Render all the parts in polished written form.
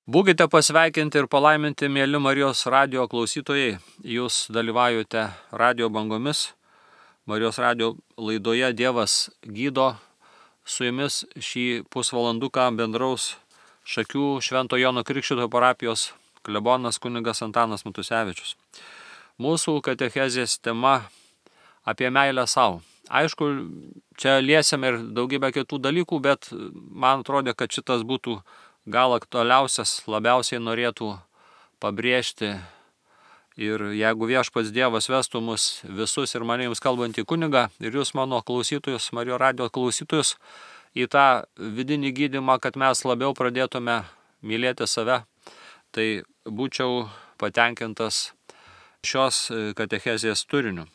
Būkite pasveikinti ir palaiminti, mėly Marijos radio klausytojai. Jūs dalyvaujate radio bangomis. Marijos radio laidoje Dievas gydo. Su jumis šį pusvalanduką bendraus Šakių Švento Jono Krikštytojo parapijos klebonas kunigas Antanas Matusevičius. Mūsų katechezės tema apie meilę savo. Aišku, čia liesime ir daugybę kitų dalykų, bet man atrodė, kad šitas būtų gal aktualiausias, labiausiai norėtų pabrėžti. Ir jeigu Viešpats Dievas vestų mus visus ir mane jums kalbantį kunigą, ir jūs mano klausytojus, Marijos radio klausytojus, į tą vidinį gydymą, kad mes labiau pradėtume mylėti save, tai būčiau patenkintas šios katechezės turiniu.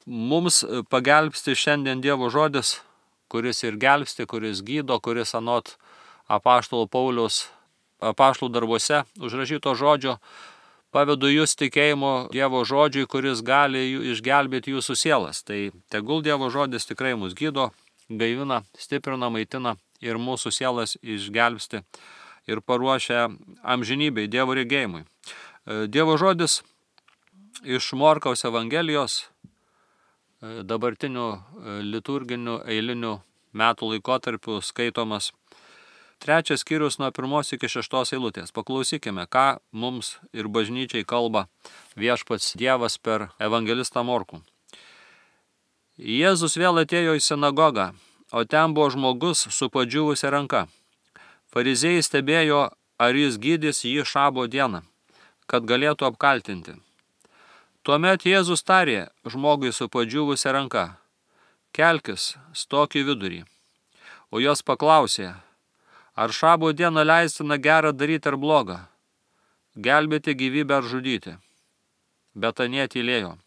Mums pagelbsti šiandien Dievo žodis, kuris ir gelbsti, kuris gydo, kuris anot apaštalo Pauliaus apaštalų darbuose užrašyto žodžio pavedu jūs tikėjimo Dievo žodžiui, kuris gali išgelbėti jūsų sielas. Tai tegul Dievo žodis tikrai mus gydo, gaivina, stiprina, maitina ir mūsų sielas išgelbsti ir paruošia amžinybei, Dievo regėjimui. Dievo žodis iš Morkaus Evangelijos dabartinių liturginių eilinių metų laikotarpių skaitomas 3 skyrius nuo 1 iki 6 eilutės. Paklausykime, ką mums ir bažnyčiai kalba Viešpats Dievas per evangelistą Morkų. Jėzus vėl atėjo į sinagogą, o ten buvo žmogus su padžiūvusia ranka. Fariziejai stebėjo, ar jis gydys jį šabo dieną, kad galėtų apkaltinti. Tuomet Jėzus tarė žmogui su padžiūvusia ranka: kelkis, stok į vidurį. O jos paklausė: ar šabo dieną leistina gerą daryti ar blogą, gelbėti gyvybę ar žudyti? Bet anie tylėjo.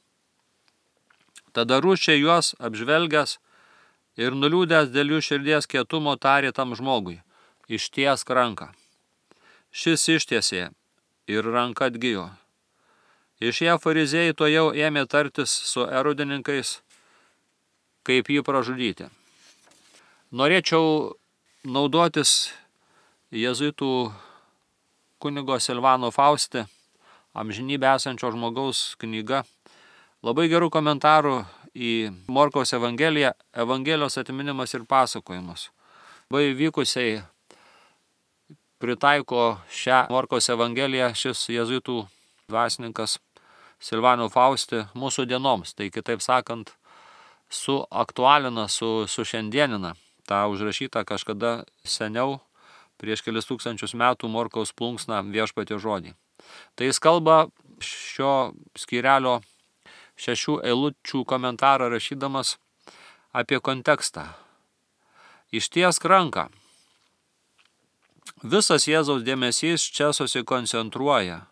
Tada rūsčiai juos apžvelgęs ir nuliūdęs dėl jų širdies kietumo tarė tam žmogui: ištiesk ranką. Šis ištiesė ir ranka atgijo. Išėję fariziejai tuojau ėmė tartis su erodininkais, kaip jį pražudyti. Norėčiau naudotis jėzuitų kunigo Silvano Fausti amžinybę esančio žmogaus knyga, labai gerų komentarų į Morkaus Evangeliją, Evangelijos atminimas ir pasakojimas. Labai vykusiai pritaiko šią Morkaus Evangeliją šis jėzuitų dvasininkas Silvano Fausti mūsų dienoms. Tai kitaip sakant, suaktualina, sušiandienina tą užrašytą kažkada seniau, prieš kelis tūkstančius metų Morkaus plunksną Viešpatio žodį. Tai jis kalba šio skyrelio 6 eilučių komentarą rašydamas apie kontekstą. Ištiesk ranką. Visas Jėzaus dėmesys čia susikoncentruoja.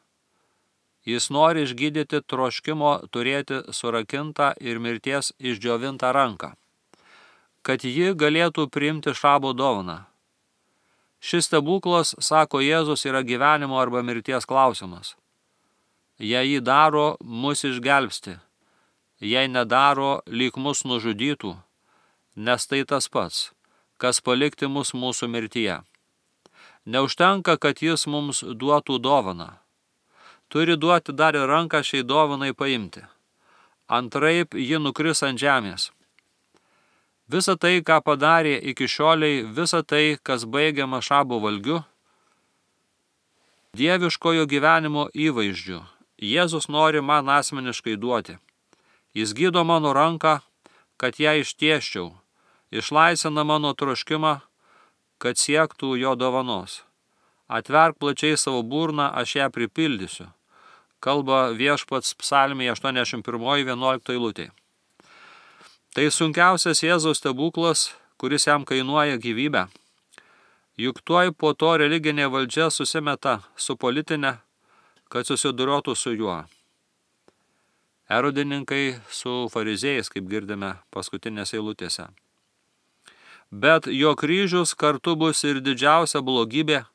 Jis nori išgydyti troškimo turėti surakintą ir mirties išdžiovintą ranką, kad ji galėtų priimti šabo dovaną. Šis stebuklas, sako Jėzus, yra gyvenimo arba mirties klausimas. Jei jį daro, mus išgelbsti. Jei nedaro, lyg mus nužudytų, nes tai tas pats, kas palikti mus mūsų mirtyje. Neužtenka, kad jis mums duotų dovaną. Turi duoti dar ir ranką šiai dovanai paimti. Antraip ji nukris ant žemės. Visa tai, ką padarė iki šioliai, visa tai, kas baigiama šabo valgiu, dieviškojo gyvenimo įvaizdžiu, Jėzus nori man asmeniškai duoti. Jis gydo mano ranką, kad ją ištiesčiau, išlaisvina mano troškimą, kad siektų jo dovanos. Atverk plačiai savo burną, aš ją pripildysiu. Kalba Viešpats psalmėje 81:11 eilutė. Tai sunkiausias Jėzaus stebuklas, kuris jam kainuoja gyvybę. Juk tuoj po to religinė valdžia susimeta su politinė, kad susidorotų su juo. Erodininkai su fariziejais, kaip girdime paskutinėse eilutėse. Bet jo kryžius kartu bus ir didžiausia blogybė,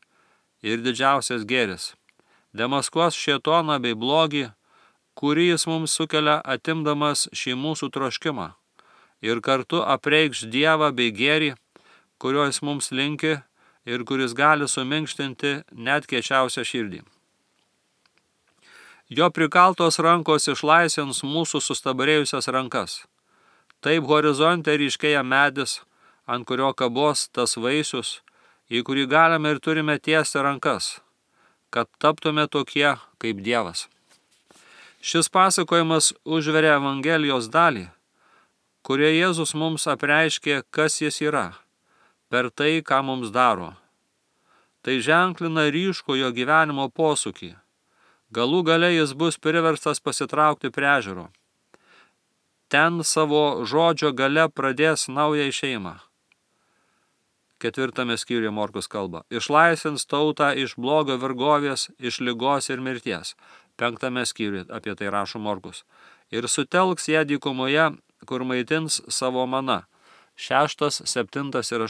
ir didžiausias gėris. Demaskuos šėtoną bei blogį, kurį jis mums sukelia atimdamas šį mūsų troškimą, ir kartu apreikš Dievą bei gėrį, kurio jis mums linki, ir kuris gali suminkštinti net kiečiausią širdį. Jo prikaltos rankos išlaisvins mūsų sustabarėjusias rankas. Taip horizonte ryškėja medis, ant kurio kabos tas vaisius, į kurį galime ir turime tiesti rankas, kad taptume tokie kaip Dievas. Šis pasakojimas užveria Evangelijos dalį, kurioje Jėzus mums apreiškė, kas jis yra, per tai, ką mums daro. Tai ženklina ryškų jo gyvenimo posūkį. Galų gale jis bus priverstas pasitraukti prie ežero. Ten savo žodžio gale pradės naują šeimą. 4 skyriuje Morkus kalba. Išlaisvins tautą iš blogio vergovės, iš ligos ir mirties. 5 skyriuje apie tai rašo Morkus. Ir sutelks ją dykumoje, kur maitins savo mana. 6, 7 ir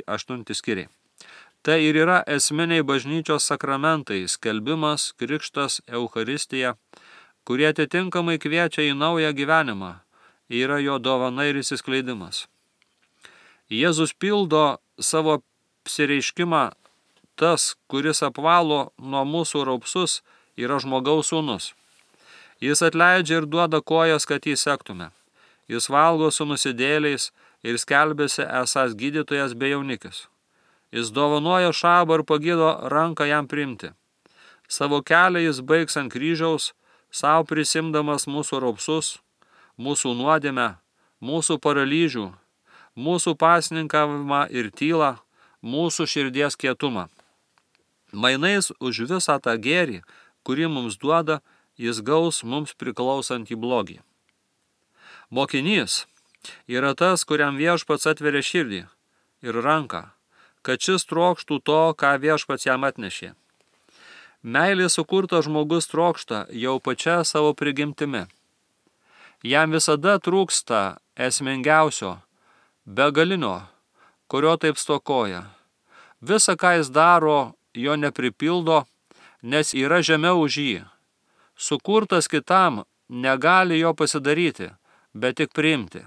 8 skyriai. Tai ir yra esminiai bažnyčios sakramentai, skelbimas, krikštas, eucharistija, kurie atitinkamai kviečia į naują gyvenimą, yra jo dovana ir įsiskleidimas. Jėzus pildo savo apsireiškimą, tas, kuris apvalo nuo mūsų raupsus, yra žmogaus sūnus. Jis atleidžia ir duoda kojas, kad jį sektume. Jis valgo su nusidėliais ir skelbėsi esąs gydytojas bei jaunikis. Jis dovanoja šabą ir pagydo ranką jam priimti. Savo kelią jis baigs ant kryžiaus, savo prisimdamas mūsų raupsus, mūsų nuodėmę, mūsų paralyžių, mūsų pasninkavimą ir tylą, mūsų širdies kietumą. Mainais už visą tą gėrį, kurį mums duoda, jis gaus mums priklausantį blogį. Mokinys yra tas, kuriam viešpats atveria širdį ir ranką, kad šis trokštų to, ką viešpats jam atnešė. Meilė sukurtas žmogus trokšta jau pačia savo prigimtimi. Jam visada trūksta esmingiausio, begalinio, kurio taip stokoja. Visa, ką jis daro, jo nepripildo, nes yra žemiau už jį. Sukurtas kitam negali jo pasidaryti, bet tik priimti.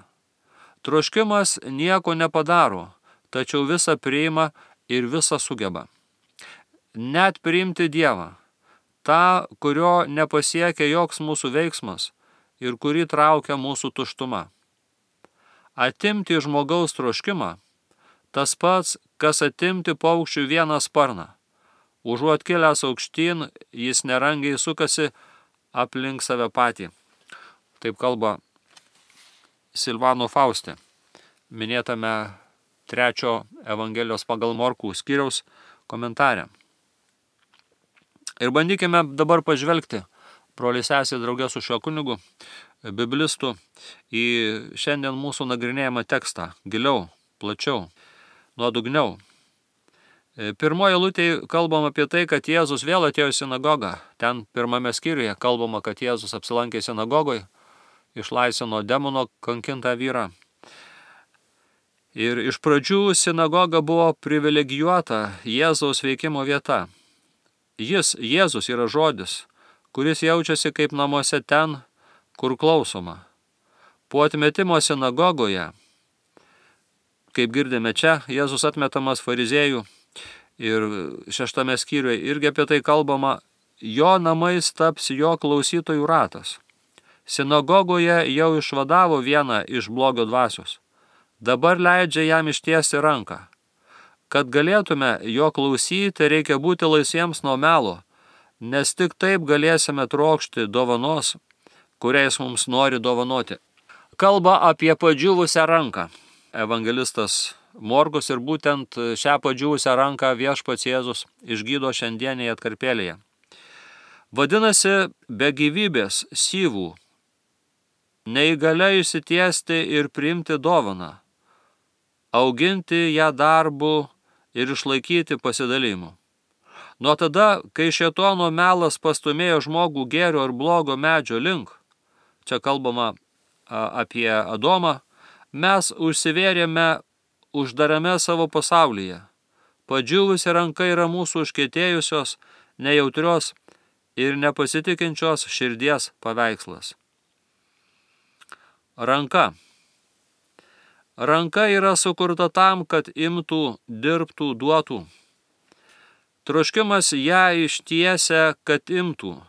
Troškimas nieko nepadaro, tačiau visą priima ir visą sugeba. Net priimti Dievą, tą, kurio nepasiekia joks mūsų veiksmas ir kurį traukia mūsų tuštuma. Atimti žmogaus troškimą, tas pats, kas atimti paukščių vieną sparną. Užuot kilęs aukštyn, jis nerangiai sukasi aplink save patį. Taip kalba Silvano Fauste, minėtame 3 Evangelijos pagal Morkų skyriaus komentare. Ir bandykime dabar pažvelgti, broliai sesė draugė su šiuo kunigu, biblistu, į šiandien mūsų nagrinėjamą tekstą, giliau, plačiau, nuodugniau. Pirmoje eilutėje kalbam apie tai, kad Jėzus vėl atėjo į sinagogą. Ten 1 skyriuje kalbama, kad Jėzus apsilankė sinagogoje, išlaisvino demono kankintą vyrą. Ir iš pradžių sinagoga buvo privilegijuota Jėzaus veikimo vieta. Jėzus yra žodis, kuris jaučiasi kaip namuose ten, kur klausoma. Po atmetimo sinagogoje, kaip girdime čia, Jėzus atmetamas fariziejų ir 6 skyriuje irgi apie tai kalbama, jo namais taps jo klausytojų ratas. Sinagogoje jau išvadavo vieną iš blogio dvasios. Dabar leidžia jam ištiesti ranką. Kad galėtume jo klausyti, reikia būti laisviems nuo melo, nes tik taip galėsime trokšti dovanos, kuriais mums nori dovanoti. Kalba apie padžiūvusią ranką. Evangelistas Morkus ir būtent šią padžiūvusią ranką viešpats Jėzus išgydo šiandienėje atkarpėlėje. Vadinasi, be gyvybės, syvų, neįgalia išsitiesti ir priimti dovaną, auginti ją darbu ir išlaikyti pasidalymu. Nuo tada, kai šėtono melas pastumėjo žmogų gėrio ir blogo medžio link, čia kalbama apie Adomą, mes užsivėrėme uždarame savo pasaulyje. Padžiūvusi ranka yra mūsų užkietėjusios, nejautrios ir nepasitikinčios širdies paveikslas. Ranka. Ranka yra sukurta tam, kad imtų, dirbtų, duotų. Troškimas ją ištiesia, kad imtų.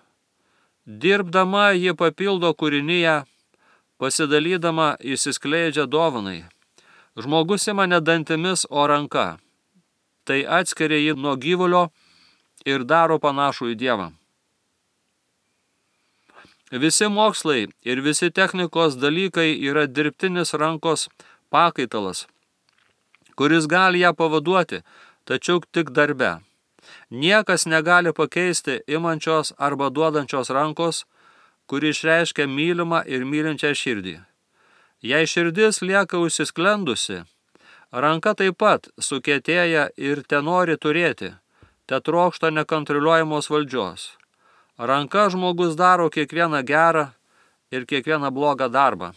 Dirbdama ji papildo kūrinyje, pasidalydama išsiskleidžia dovanai. Žmogus ima ne dantimis, o ranka. Tai atskiria jį nuo gyvulio ir daro panašų į Dievą. Visi mokslai ir visi technikos dalykai yra dirbtinis rankos pakaitalas, kuris gali ją pavaduoti, tačiau tik darbe. Niekas negali pakeisti imančios arba duodančios rankos, kuri išreiškia mylimą ir mylinčią širdį. Jei širdis lieka užsisklendusi, ranka taip pat sukietėja ir tenori turėti, tetrokšta nekontroliuojamos valdžios. Ranka žmogus daro kiekvieną gerą ir kiekvieną blogą darbą.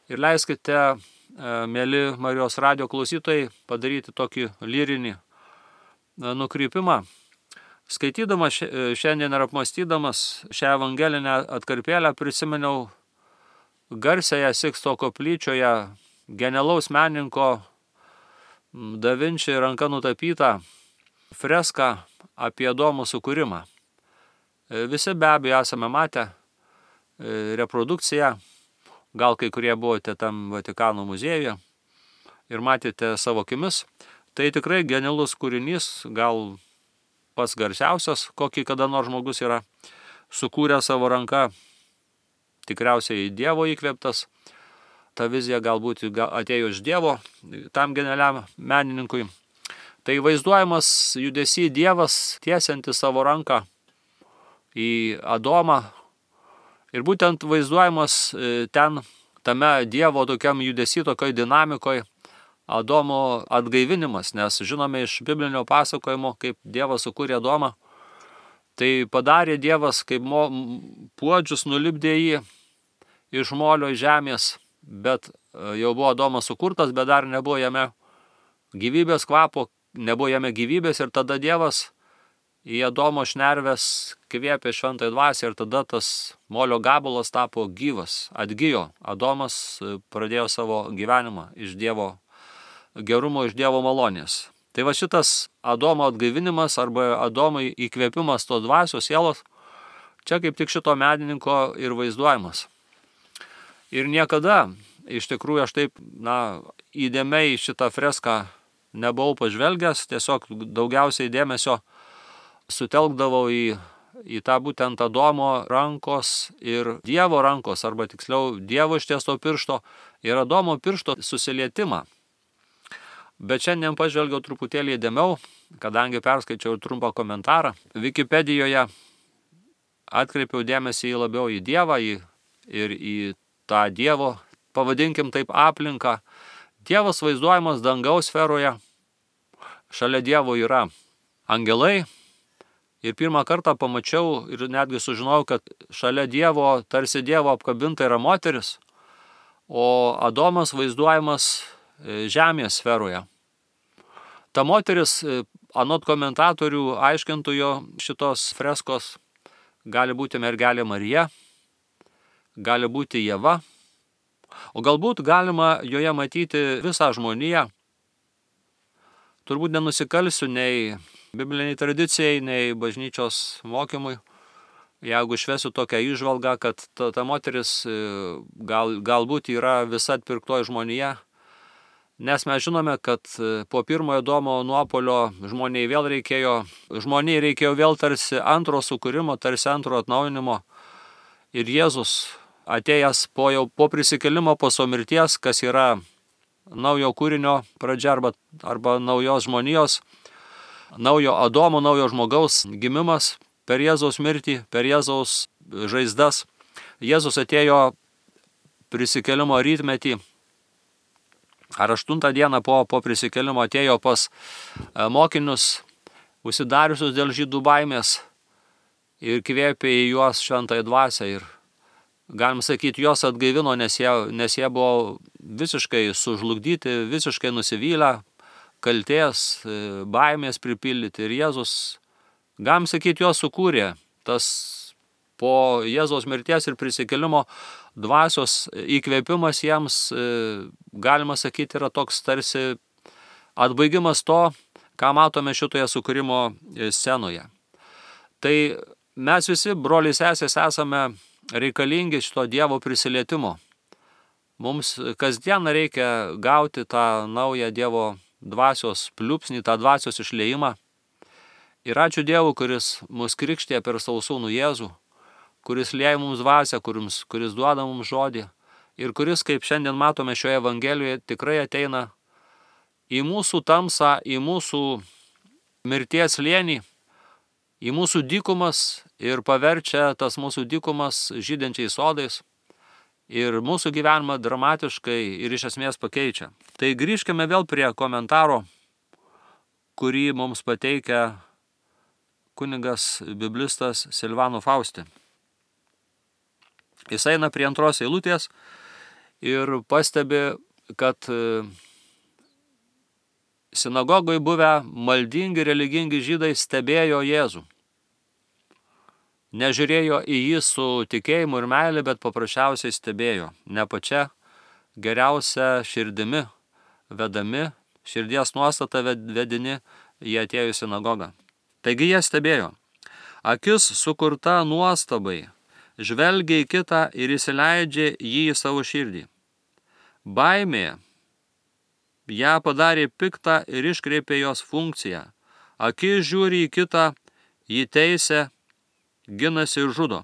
Ir leiskite, mėly Marijos radijo klausytojai, padaryti tokį lyrinį nukrypimą. Skaitydamas šiandien ir apmąstydamas šią evangelinę atkarpėlę prisiminiau garsiąją Siksto koplyčioje genialaus menininko Da Vinci ranka nutapytą freską apie Adomo sukūrimą. Visi be abejo esame matę reprodukciją, gal kai kurie buvote tam Vatikano muziejuje ir matėte savo akimis. Tai tikrai genialus kūrinys, gal pats garsiausias, kokį kada nors žmogus yra sukūręs savo ranką, tikriausiai Dievo įkvėptas. Ta vizija galbūt atėjo iš Dievo tam genialiam menininkui. Tai vaizduojamas judesy Dievas tiesiantis savo ranką į Adomą. Ir būtent vaizduojamas ten, tame Dievo tokiam judesy, tokioj dinamikoj, Adomo atgaivinimas, nes žinome iš biblinio pasakojimo, kaip Dievas sukūrė Adomą. Tai padarė Dievas, kaip puodžius nulipdė jį iš molio žemės, bet jau buvo Adomas sukurtas, bet dar nebuvo jame gyvybės kvapo, nebuvo jame gyvybės, ir tada Dievas į Adomo šnerves kvėpė šventąją dvasią ir tada tas molio gabalas tapo gyvas, atgijo. Adomas pradėjo savo gyvenimą iš Dievo gerumo, iš Dievo malonės. Tai va šitas Adomo atgaivinimas arba Adomui įkvėpimas tos dvasios sielos, čia kaip tik šito menininko ir vaizduojamas. Ir niekada, iš tikrųjų, aš taip, įdėmiai šitą freską nebuvau pažvelgęs, tiesiog daugiausiai dėmesio sutelkdavau į tą būtent Adomo rankos ir Dievo rankos, arba tiksliau Dievo ištiesto piršto ir Adomo piršto susilietimą. Bet šiandien pažvelgiau truputėlį įdėmiau, kadangi perskaičiau trumpą komentarą. Wikipedijoje atkreipiau dėmesį labiau į Dievą ir į tą Dievo, pavadinkim taip, aplinką. Dievas vaizduojamas dangaus sferoje, šalia Dievo yra angelai. Ir pirmą kartą pamačiau ir netgi sužinojau, kad šalia Dievo, tarsi Dievo apkabinta yra moteris, o Adomas vaizduojamas žemės sferoje. Ta moteris, anot komentatorių aiškintojų šitos freskos, gali būti mergelė Marija, gali būti Ieva, o galbūt galima joje matyti visą žmoniją. Turbūt nenusikalsiu nei bibliniai tradicijai, nei bažnyčios mokymui, jeigu išvesiu tokią įžvalgą, kad ta moteris galbūt yra visa atpirktoji žmonija, nes mes žinome, kad po pirmojo Adomo nuopuolio žmonijai reikėjo vėl tarsi antro sukūrimo, tarsi antro atnaujinimo. Ir Jėzus atėjęs po prisikėlimo, po savo mirties, kas yra naujo kūrinio pradžia arba naujos žmonijos, naujo Adomo, naujo žmogaus gimimas per Jėzaus mirtį, per Jėzaus žaizdas. Jėzus atėjo prisikėlimo rytmetį, ar 8 dieną po prisikėlimo atėjo pas mokinius, užsidariusius dėl žydų baimės, ir kvėpė į juos šventąją dvasią. Ir galim sakyti, juos atgaivino, nes jie buvo visiškai sužlugdyti, visiškai nusivylę, kaltės, baimės pripildyti. Ir Jėzus, galim sakyti, juos sukūrė. Tas po Jėzaus mirties ir prisikėlimo dvasios įkvėpimas jiems, galima sakyti, yra toks tarsi atbaigimas to, Ką matome šitoje sukūrimo scenoje? Tai mes visi, broliai sesės, esame reikalingi šito Dievo prisilietimo. Mums kasdieną reikia gauti tą naują Dievo dvasios pliūpsnį, tą dvasios išliejimą. Ir ačiū Dievui, kuris mus krikštė per savo sūnų Jėzų, kuris lieja mums dvasią, kuris duoda mums žodį ir kuris, kaip šiandien matome šioje Evangelijoje, tikrai ateina į mūsų tamsą, į mūsų mirties slėnį, į mūsų dykumas ir paverčia tas mūsų dykumas žydinčiais sodais ir mūsų gyvenimą dramatiškai ir iš esmės pakeičia. Tai grįžkime vėl prie komentaro, kurį mums pateikia kunigas biblistas Silvano Fausti. Jis eina prie 2 eilutės ir pastebi, kad sinagogoje buvę maldingi religingi žydai stebėjo Jėzų. Nežiūrėjo į jį su tikėjimu ir meilė, bet paprasčiausiai stebėjo. Ne pačia geriausia širdimi vedami, širdies nuostata vedini, jie atėjo į sinagogą. Taigi jie stebėjo. Akis sukurta nuostabai, žvelgia į kitą ir įsileidžia jį į savo širdį. Baimė ją padarė piktą ir iškreipė jos funkciją. Akis žiūri į kitą, jį teisia, ginasi ir žudo.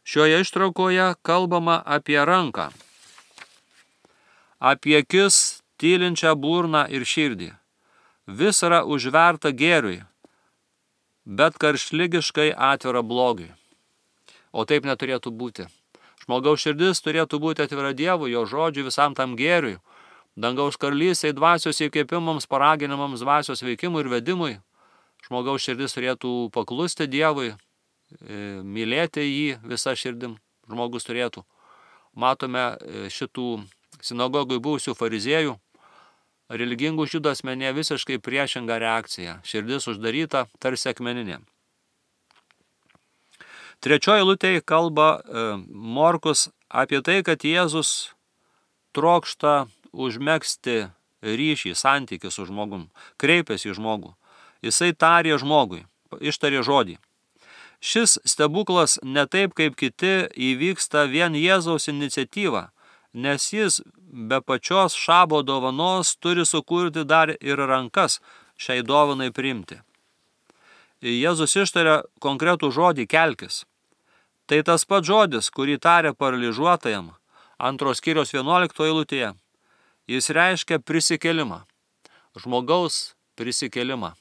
Šioje ištraukoje kalbama apie ranką, apie akis, tylinčią burną ir širdį. Vis yra užverta gėriui, bet karštligiškai atvira blogiui. O taip neturėtų būti. Žmogaus širdis turėtų būti atvira Dievui, jo žodžiui, visam tam gėriui, dangaus karalystei, dvasios įkvėpimams, paraginimams, dvasios veikimui ir vedimui. Žmogaus širdis turėtų paklusti Dievui, mylėti jį visą širdim. Žmogus turėtų. Matome šitų sinagogui buvusių fariziejų, religingų žydų asmenyje visiškai priešinga reakcija. Širdis uždaryta, tarsi akmeninė. 3 eilutėje kalba Morkus apie tai, kad Jėzus trokšta užmegzti ryšį, santykį su žmogum, kreipiasi į žmogų. Jisai tarė žmogui, ištarė žodį. Šis stebuklas ne taip kaip kiti įvyksta vien Jėzaus iniciatyva, nes jis be pačios šabo dovanos turi sukurti dar ir rankas šiai dovanai priimti. Jėzus ištarė konkretų žodį kelkis. Tai tas pats žodis, kurį tarė paralyžiuotajam 2 skyriaus 11 eilutėje. Jis reiškia prisikėlimą, žmogaus prisikėlimą.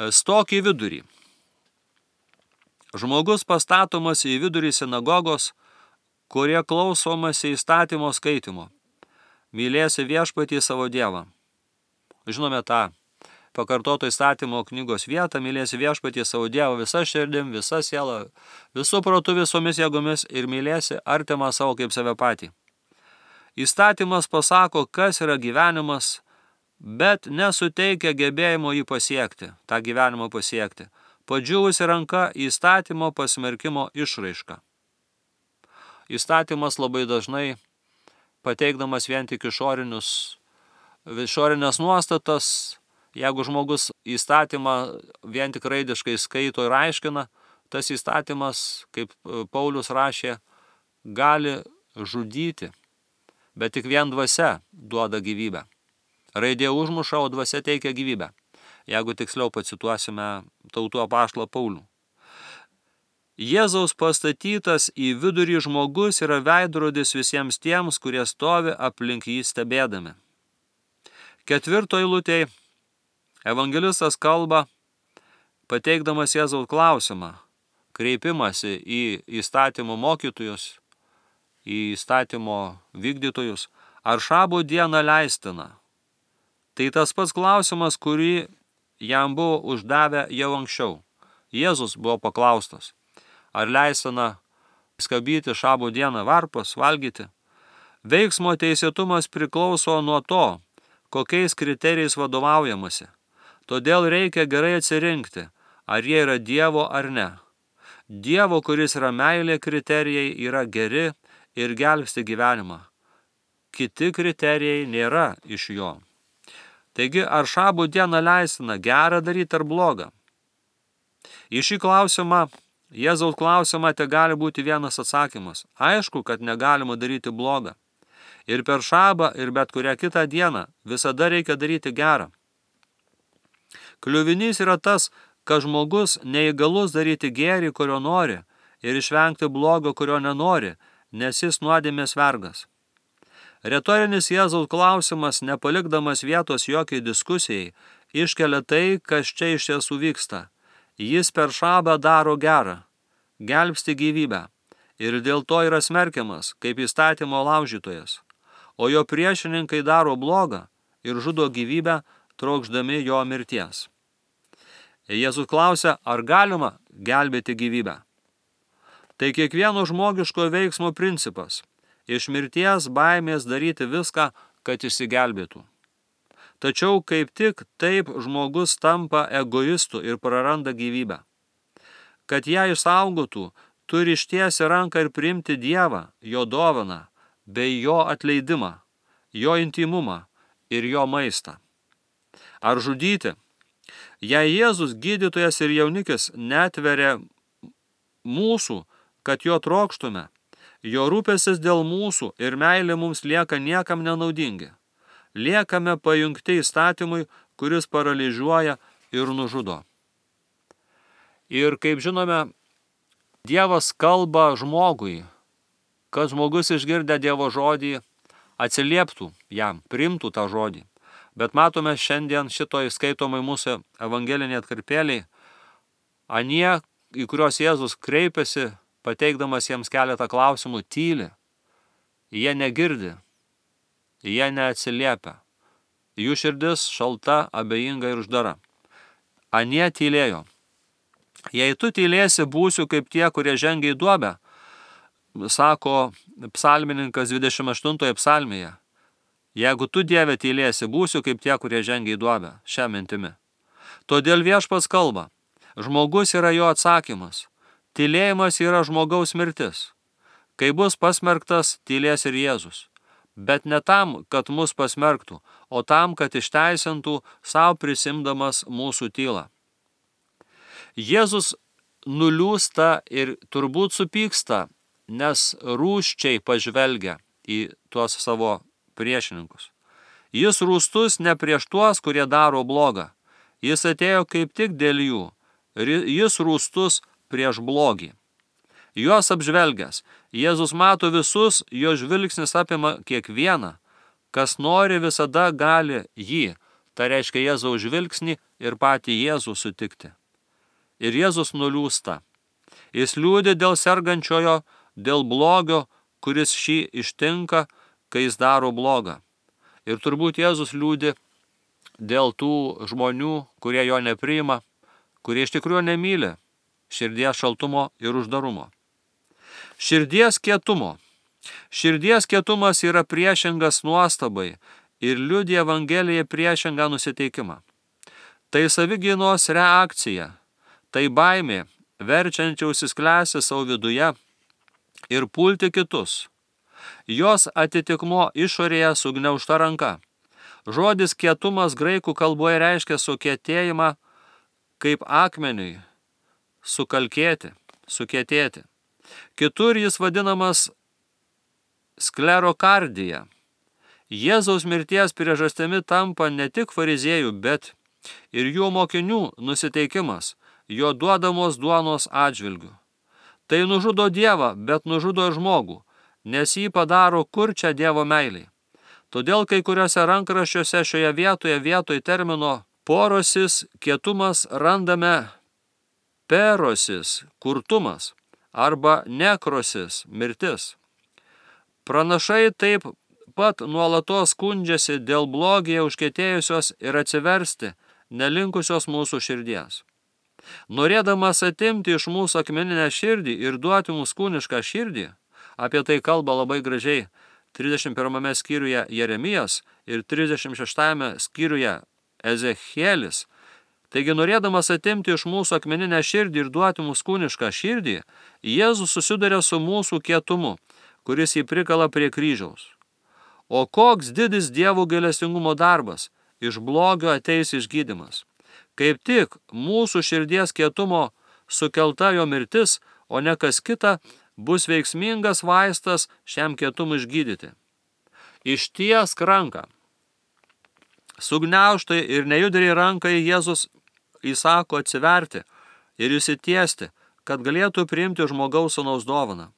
Stok į vidurį. Žmogus pastatomas į vidurį sinagogos, kurie klausomasi įstatymo skaitimo. Mylėsi viešpatį savo Dievą. Žinome tą pakartoto įstatymo knygos vietą, mylėsi viešpatį savo Dievą visa širdim, visa siela, visų protu, visomis jėgomis ir mylėsi artimą savo kaip save patį. Įstatymas pasako, kas yra gyvenimas, bet nesuteikia gebėjimo jį pasiekti, tą gyvenimą pasiekti. Padžiūvusi ranka įstatymo pasmerkimo išraiška. Įstatymas labai dažnai pateikdamas vien tik išorinės nuostatas, jeigu žmogus įstatymą vien tik raidiškai skaito ir aiškina, tas įstatymas, kaip Paulius rašė, gali žudyti, bet tik vien dvasia duoda gyvybę. Raidė užmuša, o dvasia teikia gyvybę. Jeigu tiksliau pacituosime tautų apaštalą Paulių. Jėzaus pastatytas į vidurį žmogus yra veidrodis visiems tiems, kurie stovi aplink jį stebėdami. 4 eilutėje evangelistas kalba, pateikdamas Jėzaus klausimą, kreipimasi į įstatymo mokytojus, į įstatymo vykdytojus, ar šabo dieną leistina. Tai tas pats klausimas, kurį jam buvo uždavę jau anksčiau. Jėzus buvo paklaustas, ar leistina skabyti šabo dieną varpas, valgyti. Veiksmo teisėtumas priklauso nuo to, kokiais kriterijais vadovaujamasi. Todėl reikia gerai atsirinkti, ar jie yra Dievo ar ne. Dievo, kuris yra meilė, kriterijai yra geri ir gelbsti gyvenimą. Kiti kriterijai nėra iš jo. Taigi, ar šabų dieną leistina gerą daryti ar blogą? Į šį klausimą, Jėzaus klausimą, te gali būti vienas atsakymas. Aišku, kad negalima daryti blogą. Ir per šabą, ir bet kurią kitą dieną visada reikia daryti gerą. Kliuvinys yra tas, kad žmogus neįgalus daryti gėrį, kurio nori, ir išvengti blogo, kurio nenori, nes jis nuodėmės vergas. Retorinis Jėzaus klausimas, nepalikdamas vietos jokiai diskusijai, iškelia tai, kas čia iš tiesų vyksta. Jis per šabą daro gerą, gelbsti gyvybę, ir dėl to yra smerkiamas, kaip įstatymo laužytojas, o jo priešininkai daro blogą ir žudo gyvybę, trokšdami jo mirties. Jėzus klausia, ar galima gelbėti gyvybę? Tai kiekvieno žmogiško veiksmo principas – iš mirties baimės daryti viską, kad išsigelbėtų. Tačiau kaip tik taip žmogus tampa egoistu ir praranda gyvybę. Kad ją išsaugotų, turi ištiesti ranką ir priimti Dievą, jo dovaną, bei jo atleidimą, jo intymumą ir jo maistą. Ar žudyti? Jei Jėzus, gydytojas ir jaunikis, netveria mūsų, kad jo trokštume, jo rūpestis dėl mūsų ir meilė mums lieka niekam nenaudingi. Liekame pajungti įstatymui, kuris paralyžiuoja ir nužudo. Ir kaip žinome, Dievas kalba žmogui, kad žmogus išgirdę Dievo žodį atsilieptų jam, priimtų tą žodį. Bet matome šiandien šitoj skaitomai mūsų evangeliniai atkarpėliai, anie, į kuriuos Jėzus kreipiasi, pateikdamas jiems keletą klausimų, tyli. Jie negirdi, jie neatsiliepia. Jų širdis šalta, abejinga ir uždara. Anie tylėjo. Jei tu tylėsi, būsiu kaip tie, kurie žengia į duobę, sako psalmininkas 28 psalmėje. Jeigu tu, Dieve, tylėsi, būsiu kaip tie, kurie žengia į duobę, šią mintimi. Todėl Viešpats kalba. Žmogus yra jo atsakymas. Tylėjimas yra žmogaus mirtis. Kai bus pasmerktas, tylės ir Jėzus. Bet ne tam, kad mus pasmerktų, o tam, kad išteisintų, savo prisimdamas mūsų tylą. Jėzus nuliūsta ir turbūt supyksta, nes rūsčiai pažvelgia į tuos savo priešininkus. Jis rūstus ne prieš tuos, kurie daro blogą. Jis atėjo kaip tik dėl jų. Jis rūstus prieš blogį. Juos apžvelgęs, Jėzus mato visus, jo žvilgsnis apima kiekvieną. Kas nori, visada gali jį, tai reiškia Jėzaus žvilgsnį ir patį Jėzų sutikti. Ir Jėzus nuliūsta. Jis liūdi dėl sergančiojo, dėl blogio, kuris šį ištinka, kai jis daro blogą. Ir turbūt Jėzus liūdi dėl tų žmonių, kurie jo nepriima, kurie iš tikrųjų nemyli širdies šaltumo ir uždarumo. Širdies kietumo. Širdies kietumas yra priešingas nuostabai ir liudija Evangelijai priešingą nusiteikimą. Tai savigynos reakcija, tai baimė, verčiančia užsisklęsti savo viduje ir pulti kitus. Jos atitikmo išorėje sugniaužta ranka. Žodis kietumas graikų kalboje reiškia sukietėjimą kaip akmeniui, sukalkėti, sukietėti. Kitur jis vadinamas sklerokardija. Jėzaus mirties priežastimi tampa ne tik fariziejų, bet ir jų mokinių nusiteikimas, jo duodamos duonos atžvilgių. Tai nužudo Dievą, bet nužudo ir žmogų, nes jį padaro kurčią Dievo meiliai. Todėl kai kuriuose rankraščiuose šioje vietoj termino porosis, kietumas randame perosis, kurtumas, arba nekrosis, mirtis. Pranašai taip pat nuolatos skundžiasi dėl blogyje užkietėjusios ir atsiversti nelinkusios mūsų širdies. Norėdamas atimti iš mūsų akmeninę širdį ir duoti mums kūnišką širdį, apie tai kalba labai gražiai 31 skyriuje Jeremijas ir 36 skyriuje Ezechielis. Taigi, norėdamas atimti iš mūsų akmeninę širdį ir duoti mums kūnišką širdį, Jėzus susiduria su mūsų kietumu, kuris jį prikala prie kryžiaus. O koks didis Dievo gailestingumo darbas, iš blogio ateis išgydymas. Kaip tik mūsų širdies kietumo sukelta jo mirtis, o ne kas kita, bus veiksmingas vaistas šiam kietumui išgydyti. Ištiesk ranką. Sugniaužtai ir nejudriai rankai Jėzus įsako atsiverti ir išsitiesti, kad galėtų priimti žmogaus sūnaus dovaną.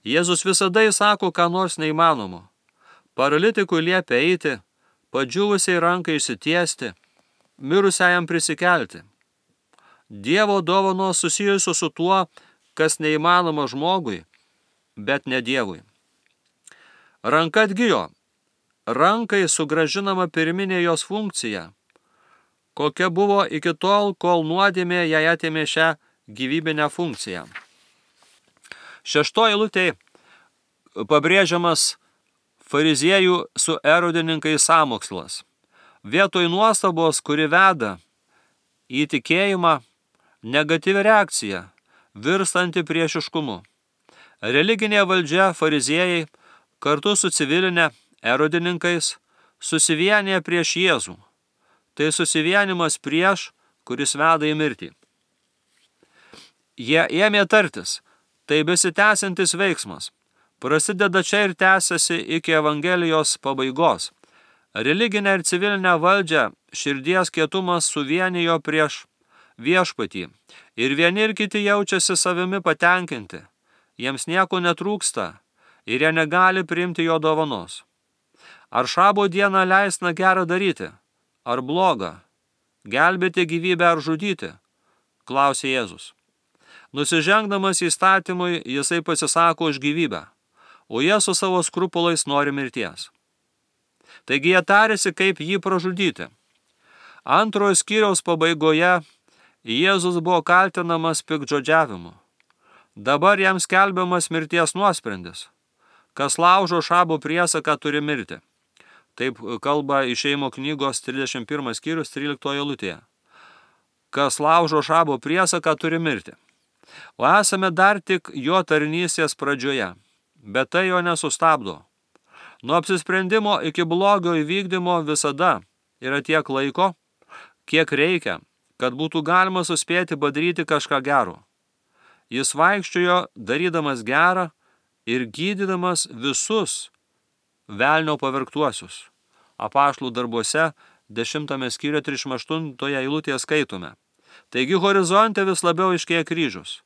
Jėzus visada įsako ką nors neįmanomo. Paralitikui liepia eiti, padžiūvusiai rankai išsitiesti, mirusiajam prisikelti. Dievo dovanos susijusios su tuo, kas neįmanoma žmogui, bet ne Dievui. Ranka atgijo. Rankai sugrąžinama pirminė jos funkcija, kokia buvo iki tol, kol nuodėmė jai atėmė šią gyvybinę funkciją. 6 eilutėje pabrėžiamas fariziejų su erodininkais sąmokslas. Vietoj nuostabos, kuri veda į tikėjimą, negatyvi reakcija, virstanti priešiškumu. Religinė valdžia fariziejai kartu su civilinė erodininkais susivienė prieš Jėzų. Tai susivienimas prieš, kuris veda į mirtį. Jie ėmė tartis. Tai besitęsiantis veiksmas. Prasideda čia ir tęsiasi iki Evangelijos pabaigos. Religinę ir civilinę valdžią širdies kietumas suvienijo prieš viešpatį. Ir vieni ir kiti jaučiasi savimi patenkinti. Jiems nieko netrūksta ir jie negali priimti jo dovanos. Ar šabo dieną leisna gerą daryti? Ar blogą? Gelbėti gyvybę ar žudyti? Klausė Jėzus. Nusižengdamas įstatymui, jisai pasisako už gyvybę, o jie su savo skrupulais nori mirties. Taigi jie tarėsi, kaip jį pražudyti. Antrojo skyriaus pabaigoje Jėzus buvo kaltinamas piktžodžiavimu. Dabar jam skelbiamas mirties nuosprendis. Kas laužo šabo priesaką, turi mirti. Taip kalba Išėjimo knygos 31 skyrius 13 eilutėje. Kas laužo šabo priesaką, turi mirti. O esame dar tik jo tarnystės pradžioje, bet tai jo nesustabdo. Nuo apsisprendimo iki blogio įvykdymo visada yra tiek laiko, kiek reikia, kad būtų galima suspėti padaryti kažką gero. Jis vaikščiojo darydamas gerą ir gydydamas visus velnio pavergtuosius. Apaštalų darbuose 10 skyriuje 38 eilutėje skaitome. Taigi horizonte vis labiau iškėja kryžius.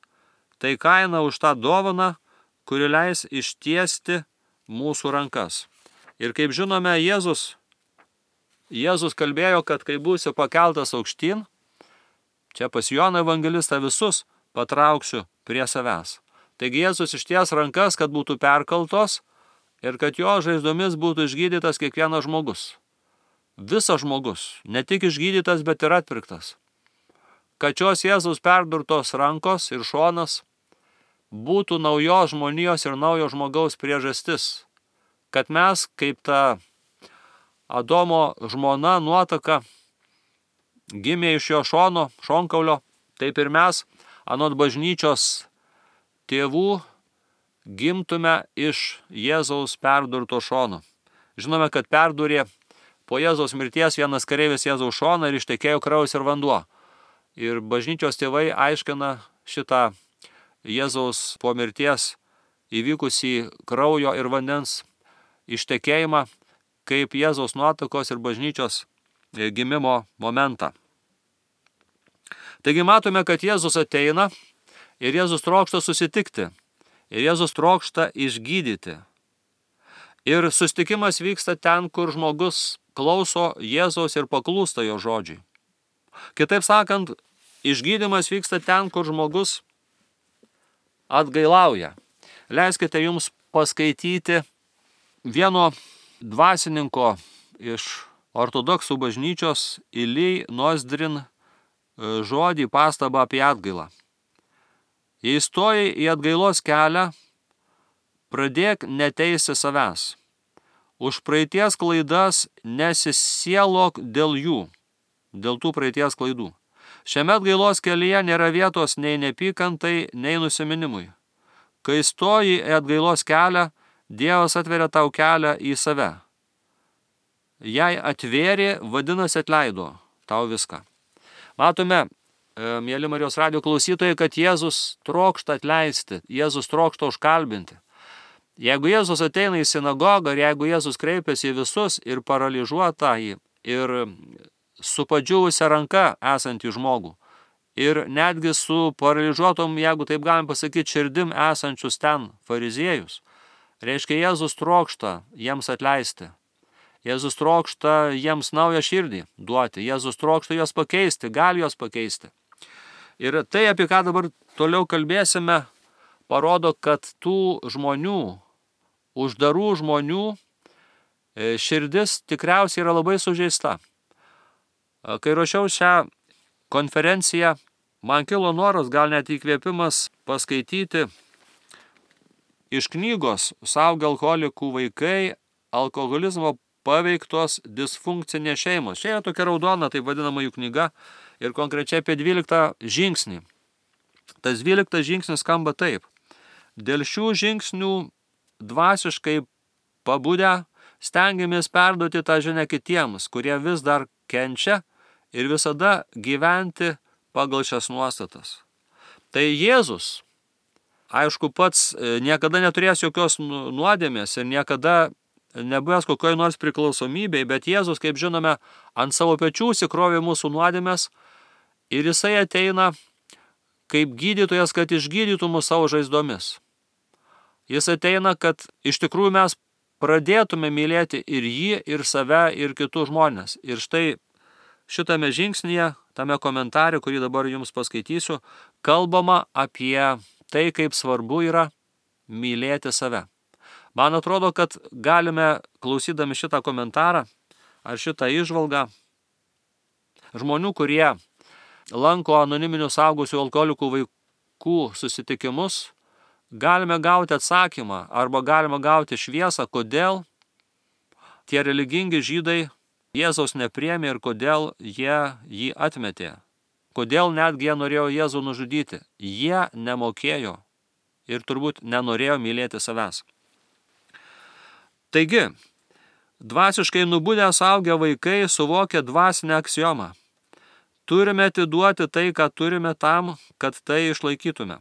Tai kaina už tą dovaną, kuri leis ištiesti mūsų rankas. Ir kaip žinome, Jėzus kalbėjo, kad kai būsiu pakeltas aukštyn, čia pas Joną evangelistą visus patrauksiu prie savęs. Taigi Jėzus išties rankas, kad būtų perkaltos ir kad jo žaizdomis būtų išgydytas kiekvienas žmogus. Visas žmogus, ne tik išgydytas, bet ir atpirktas. Kad šios Jėzaus perdurtos rankos ir šonas būtų naujos žmonijos ir naujo žmogaus priežastis. Kad mes, kaip ta Adomo žmona nuotaka, gimė iš jo šono, šonkaulio, taip ir mes, anot bažnyčios tėvų, gimtume iš Jėzaus perdurto šono. Žinome, kad perdurė po Jėzaus mirties vienas kareivis Jėzaus šoną ir ištekėjo kraujas ir vanduo. Ir bažnyčios tėvai aiškina šitą Jėzaus po mirties įvykusį kraujo ir vandens ištekėjimą kaip Jėzaus nuotakos ir bažnyčios gimimo momentą. Taigi matome, kad Jėzus ateina ir Jėzus trokšta susitikti. Ir Jėzus trokšta išgydyti. Ir susitikimas vyksta ten, kur žmogus klauso Jėzaus ir paklūsta jo žodžiui. Kitaip sakant, išgydymas vyksta ten, kur žmogus atgailauja. Leiskite jums paskaityti vieno dvasininko iš ortodoksų bažnyčios Ilij Nozdrin žodį pastabą apie atgailą. Jei stojai į atgailos kelią, pradėk neteisti savęs. Už praeities klaidas nesisielok dėl jų, dėl tų praeities klaidų. Šiame atgailos kelyje nėra vietos nei nepykantai, nei nusiminimui. Kai stoji į atgailos kelią, Dievas atveria tau kelią į save. jai atvėrė, vadinasi atleido tau viską. Matome, mėly Marijos radijo klausytojai, kad Jėzus trokšta atleisti, Jėzus trokšta užkalbinti. Jeigu Jėzus ateina į sinagogą ir jeigu Jėzus kreipiasi į visus ir paralyžiuotąjį, ir su padžiūvusia ranka esantį žmogų, ir netgi su paralyžiuotom, jeigu taip galim pasakyti, širdim esančius ten fariziejus, reiškia Jėzus trokšta jiems atleisti. Jėzus trokšta jiems naują širdį duoti, Jėzus trokšta juos pakeisti, gali juos pakeisti. Ir tai, apie ką dabar toliau kalbėsime, parodo, kad tų žmonių, uždarų žmonių širdis tikriausiai yra labai sužeista. Kai ruošiau šią konferenciją, man kilo noras, gal net įkvėpimas paskaityti iš knygos Suaugę alkoholikų vaikai, alkoholizmo paveiktos disfunkcinės šeimos. Čia yra tokia raudona, taip vadinama jų knyga, ir konkrečiai apie 12 žingsnį. Tas 12 žingsnis skamba taip. Dėl šių žingsnių dvasiškai pabudę stengiamės perduoti tą žinią kitiems, kurie vis dar kenčia, ir visada gyventi pagal šias nuostatas. Tai Jėzus, aišku, pats niekada neturės jokios nuodėmės ir niekada nebuvęs kokioj nors priklausomybei, bet Jėzus, kaip žinome, ant savo pečių įsikrovė mūsų nuodėmės ir jisai ateina kaip gydytojas, kad išgydytų mus savo žaizdomis. Jis ateina, kad iš tikrųjų mes pradėtume mylėti ir jį, ir save, ir kitus žmonės. Ir štai šitame žingsnyje, tame komentare, kurį dabar jums paskaitysiu, kalbama apie tai, kaip svarbu yra mylėti save. Man atrodo, kad galime, klausydami šitą komentarą ar šitą įžvalgą, žmonių, kurie lanko anoniminių suaugusių alkoholikų vaikų susitikimus, galime gauti atsakymą arba galime gauti šviesą, kodėl tie religingi žydai Jėzaus nepriėmė ir kodėl jie jį atmetė. Kodėl netgi jie norėjo Jėzų nužudyti. Jie nemokėjo ir turbūt nenorėjo mylėti savęs. Taigi, dvasiškai nubudę suaugę vaikai suvokia dvasinę aksiomą. Turime atiduoti tai, ką turime tam, kad tai išlaikytume.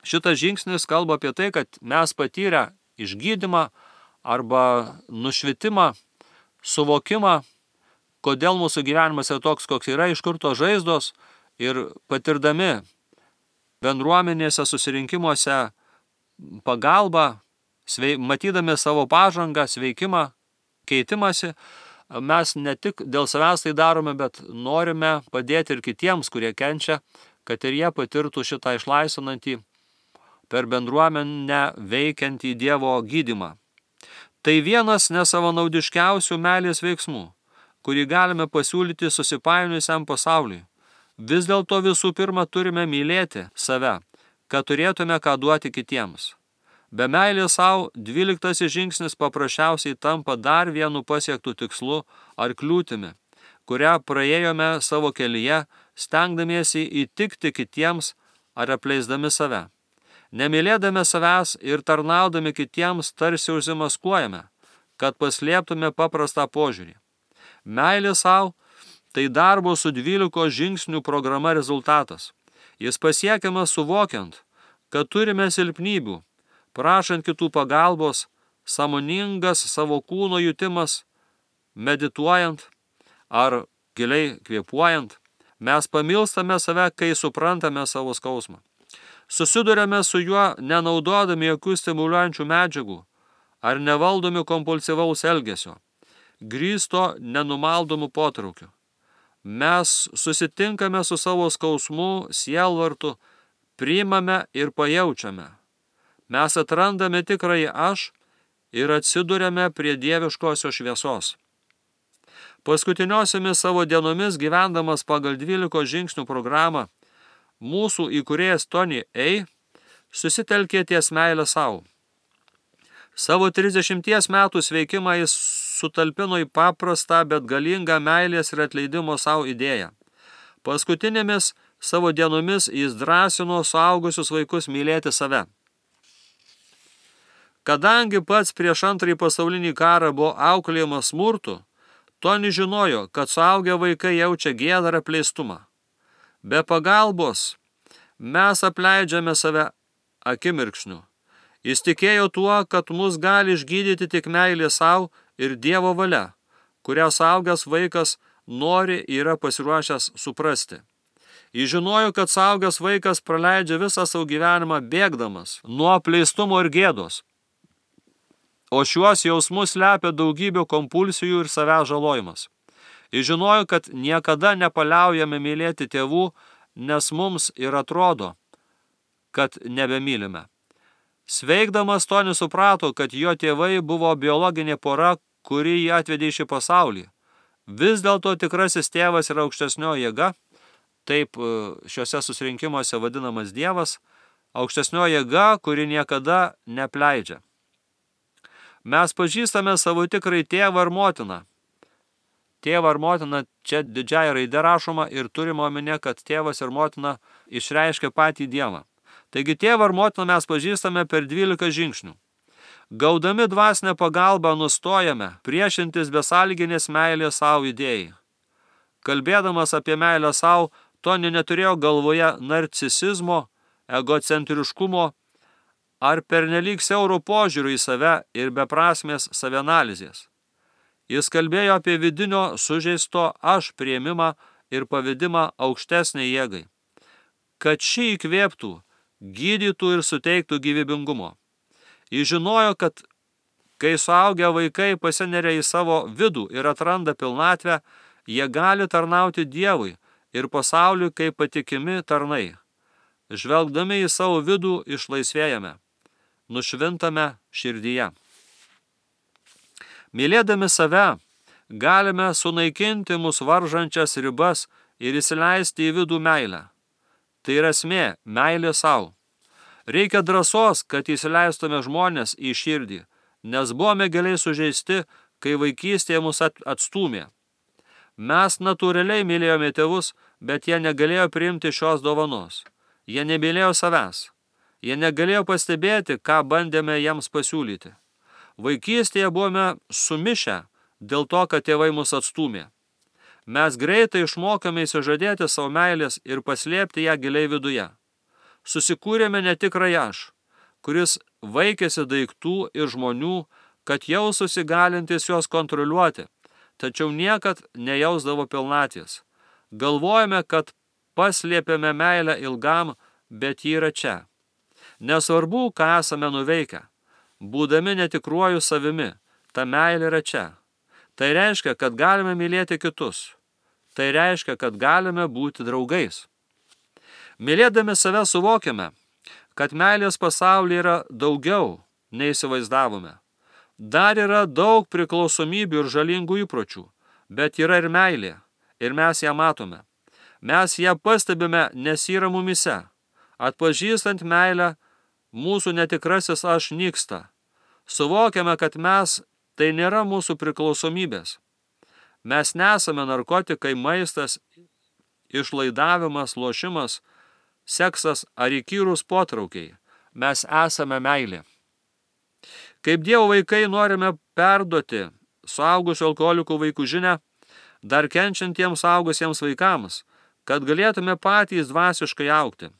Šitas žingsnis kalba apie tai, kad mes patyrę išgydymą arba nušvitimą, suvokimą, kodėl mūsų gyvenimas yra toks, koks yra, iš kur tos žaizdos, ir patirdami bendruomenėse, susirinkimuose pagalbą, matydami savo pažangą, sveikimą, keitimąsi, mes ne tik dėl savęs tai darome, bet norime padėti ir kitiems, kurie kenčia, kad ir jie patirtų šitą išlaisvinantį, per bendruomenę veikiantį Dievo gydymą. Tai vienas nesavanaudiškiausių meilės veiksmų, kurį galime pasiūlyti susipainiojusiam pasauliui. Vis dėlto visų pirma turime mylėti save, kad turėtume ką duoti kitiems. Be meilės savo 12 žingsnis paprasčiausiai tampa dar vienu pasiektų tikslu ar kliūtimi, kurią praėjome savo kelyje, stengdamiesi įtikti kitiems ar apleisdami save. Nemylėdami savęs ir tarnaudami kitiems tarsi užsimaskuojame, kad paslėptume paprastą požiūrį. Meilė savo – tai darbo su 12 žingsnių programa rezultatas. Jis pasiekiamas suvokiant, kad turime silpnybių, prašant kitų pagalbos, sąmoningas savo kūno jutimas, medituojant ar giliai kvėpuojant, mes pamilstame save, kai suprantame savo skausmą. Susiduriame su juo nenaudodami jokių stimuliuojančių medžiagų ar nevaldomi kompulsyvaus elgesio, grįsto nenumaldomų potraukių. Mes susitinkame su savo skausmu, sielvartu, priimame ir pajaučiame. Mes atrandame tikrąjį aš ir atsiduriame prie dieviškosios šviesos. Paskutiniosiomis savo dienomis gyvendamas pagal 12 žingsnių programą, mūsų įkūrėjas Tony A. susitelkė ties meilę savo. Savo 30 metų sveikimą jis sutalpino į paprastą, bet galingą meilės ir atleidimo savo idėją. Paskutinėmis savo dienomis jis drąsino suaugusius vaikus mylėti save. Kadangi pats prieš Antrąjį pasaulinį karą buvo auklėjamas smurtu, Toni žinojo, kad suaugę vaikai jaučia gėdą ir apleistumą. Be pagalbos mes apleidžiame save akimirksniu. Jis tikėjo tuo, kad mus gali išgydyti tik meilė savo ir Dievo valia, kurią suaugęs vaikas nori yra pasiruošęs suprasti. Jis žinojo, kad suaugęs vaikas praleidžia visą savo gyvenimą bėgdamas nuo apleistumo ir gėdos. O šiuos jausmus slepia daugybė kompulsijų ir savęs žalojimas. Jis žinojo, kad niekada nepaliaujame mylėti tėvų, nes mums ir atrodo, kad nebemylime. Sveikdamas Tonis suprato, kad jo tėvai buvo biologinė pora, kuri jį atvedė į šį pasaulį. Vis dėlto tikrasis tėvas yra aukštesnio jėga, taip šiuose susirinkimuose vadinamas Dievas, aukštesnio jėga, kuri niekada nepleidžia. Mes pažįstame savo tikrai tėvą ar motiną. Tėvą ar motiną čia didžiąja raide rašoma ir turime omenyje, kad tėvas ir motina išreiškia patį Dievą. Taigi tėvą ar motiną mes pažįstame per 12 žingsnių. Gaudami dvasinę pagalbą nustojame priešintis besąlyginės meilės savo idėjai. Kalbėdamas apie meilę savo, Toni neturėjo galvoje narcisizmo, egocentriškumo ar pernelyg siauro požiūrio į save ir beprasmės savianalizės. Jis kalbėjo apie vidinio sužeisto aš priėmimą ir pavedimą aukštesnei jėgai, kad ši įkvėptų, gydytų ir suteiktų gyvybingumo. Jis žinojo, kad kai suaugę vaikai pasineria į savo vidų ir atranda pilnatvę, jie gali tarnauti Dievui ir pasauliui kaip patikimi tarnai. Žvelgdami į savo vidų išlaisvėjame, nušvintame širdyje. Mylėdami save, galime sunaikinti mus varžančias ribas ir įsileisti į vidų meilę. Tai yra esmė, meilė savo. Reikia drąsos, kad įsileistume žmonės į širdį, nes buvome giliai sužeisti, kai vaikystėje mus atstūmė. Mes natūraliai mylėjome tėvus, bet jie negalėjo priimti šios dovanos. Jie nemylėjo savęs. Jie negalėjo pastebėti, ką bandėme jiems pasiūlyti. Vaikystėje buvome sumišę dėl to, kad tėvai mus atstūmė. Mes greitai išmokame įsižadėti savo meilės ir paslėpti ją giliai viduje. Susikūrėme netikrą aš, kuris vaikėsi daiktų ir žmonių, kad jaustųsi galintis juos kontroliuoti, tačiau niekad nejausdavo pilnaties. Galvojame, kad paslėpėme meilę ilgam, bet ji yra čia. Nesvarbu, ką esame nuveikę. Būdami netikruoju savimi, ta meilė yra čia. Tai reiškia, kad galime mylėti kitus. Tai reiškia, kad galime būti draugais. Mylėdami save suvokiame, kad meilės pasaulyje yra daugiau, nei įsivaizdavome. Dar yra daug priklausomybių ir žalingų įpročių, bet yra ir meilė, ir mes ją matome. Mes ją pastebime, nes yra mumise. Atpažįstant meilę, mūsų netikrasis aš nyksta. Suvokiame, kad mes tai nėra mūsų priklausomybės. Mes nesame narkotikai, maistas, išlaidavimas, lošimas, seksas ar įkyrūs potraukiai. Mes esame meilė. Kaip Dievo vaikai norime perduoti suaugusių alkoholikų vaikų žinią dar kenčiantiems suaugusiems vaikams, kad galėtume patys dvasiškai augti.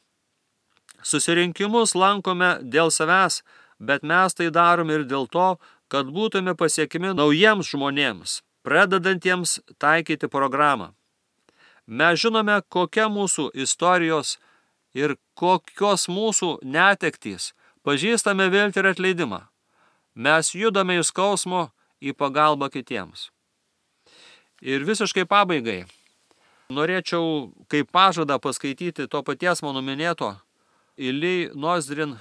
Susirinkimus lankome dėl savęs, bet mes tai darome ir dėl to, kad būtume pasiekimi naujiems žmonėms, pradedantiems taikyti programą. Mes žinome, kokia mūsų istorijos ir kokios mūsų netektys, pažįstame viltį ir atleidimą. Mes judame iš skausmo į pagalbą kitiems. Ir visiškai pabaigai norėčiau kaip pažadą paskaityti to paties mano minėto Ilij Nozdrin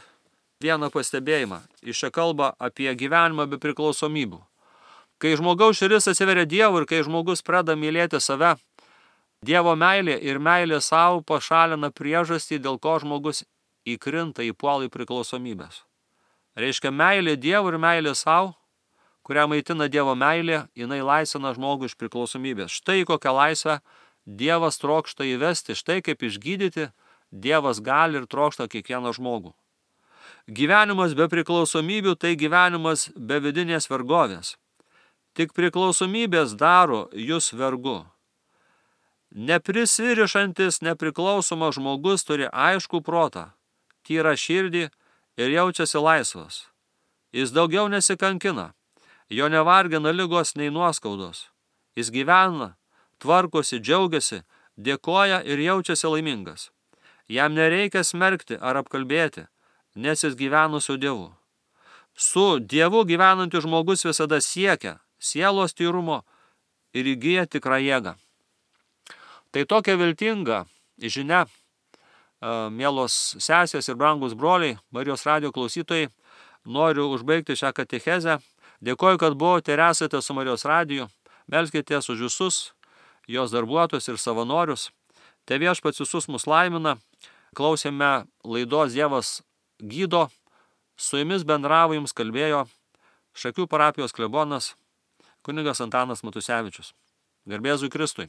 vieną pastebėjimą. Iš čia kalba apie gyvenimą be priklausomybių. Kai žmogaus širdis atsiveria Dievui ir kai žmogus pradeda mylėti save, Dievo meilė ir meilė savo pašalina priežastį, dėl ko žmogus įkrinta į puolą į priklausomybės. Reiškia, meilė Dievui ir meilė savo, kurią maitina Dievo meilė, jinai laisvina žmogų iš priklausomybės. Štai kokią laisvę Dievas trokšta įvesti, štai kaip išgydyti Dievas gali ir trokšta kiekvieną žmogų. Gyvenimas be priklausomybių tai gyvenimas be vidinės vergovės. Tik priklausomybės daro jūs vergu. Neprisirišantis nepriklausomas žmogus turi aiškų protą, tyrą širdį ir jaučiasi laisvas. Jis daugiau nesikankina, jo nevargina ligos nei nuoskaudos. Jis gyvena, tvarkosi, džiaugiasi, dėkoja ir jaučiasi laimingas. Jam nereikia smerkti ar apkalbėti, nes jis gyvena su Dievu. Su Dievu gyvenantis žmogus visada siekia sielos tyrumo ir įgyja tikrą jėgą. Tai tokia viltinga žinia, mielos sesės ir brangus broliai, Marijos radijo klausytojai, noriu užbaigti šią katechezę. Dėkoju, kad buvote ir esate su Marijos radiju. Melskitės už visus jos darbuotojus ir savanorius. Te Viešpats visus mus laimina. Klausėme laidos Dievas gydo. Su jumis bendravo, jums kalbėjo Šakių parapijos klebonas kunigas Antanas Matusevičius. Garbė Jėzui Kristui.